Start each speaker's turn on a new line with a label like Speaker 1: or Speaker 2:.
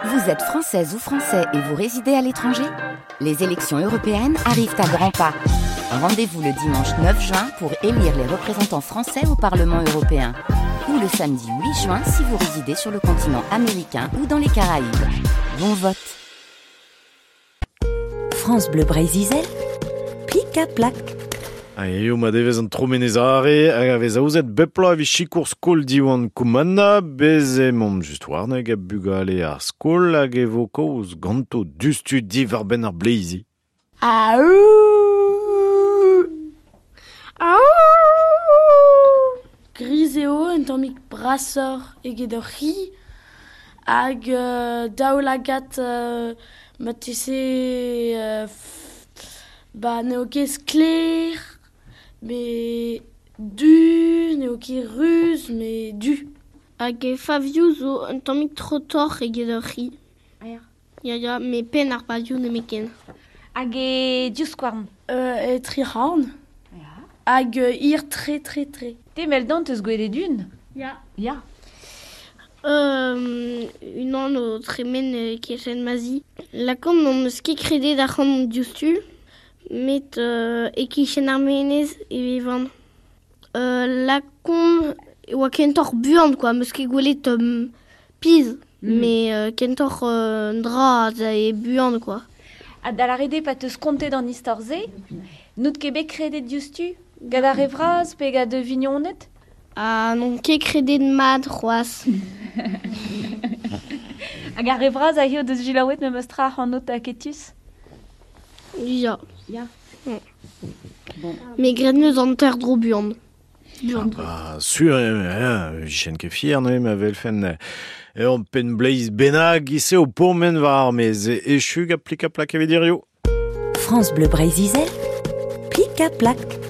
Speaker 1: Vous êtes française ou français et vous résidez à l'étranger Les élections européennes arrivent à grands pas. Rendez-vous le dimanche 9 juin pour élire les représentants français au Parlement européen. Ou le samedi 8 juin si vous résidez sur le continent américain ou dans les Caraïbes. Bon vote
Speaker 2: France Bleu Breizh-Izel, plik ha plak.
Speaker 3: Ha eo ma devez an Tromenez Are hag a vez aozet bep bloaz evit sikour skol Diwan Koumana. Bez emaomp just warneg ha bugale ar skol hag e vo kaoz ganto diouzhtu diwar-benn ar bleizi.
Speaker 4: Aou Aou Gris eo, un tammig brasoc'h eget ur c'hi hag daoulagad marteze ba n'eo ket sklaer met du, n'eo ket ruz met du.
Speaker 5: Hag e favioù zo un tammig trotoc'h eget ur c'hi. Ya, ya, met penn ar pavioù nemetken.
Speaker 6: Hag e divskouarn
Speaker 4: E tric'horn. Hag hir tre tre tre.
Speaker 6: Te meldant eus gwelet un
Speaker 5: Ya.
Speaker 6: Ya.
Speaker 5: Unan o tremen e-kichen ma zi. Lakaomp n'am eus ket kredet ac'hanomp diouzhtu, met e-kichen ar menez e vevan. Lakaomp e oa kentoc'h buan quoi, 'm eus ket gwelet pizh, met kentoc'h un dra az ae buan quoi.
Speaker 6: Ha da lâret eo pa 'teus kontet an istor-se, n'out ket bet kredet diouzhtu gant ar re vras pe gant da vignoned?
Speaker 5: Ha n'on ket kredet mat c'hoazh.
Speaker 6: Hag ar re vras a hiziv deus selaouet memes tra ac'hanout aketus?
Speaker 5: Ya.
Speaker 6: Ya.
Speaker 5: Bon. Me gred 'meus hanter-dro buan. Buan.
Speaker 3: Ah, sur eo, eh, vijen ket fier neuze ma welfen ur penn bleiz bennak ise o pourmen war ar maez. Echu gant plik-ha-plak evit hiziv.
Speaker 2: France Bleu Breizh-Izel, plik-ha-plak.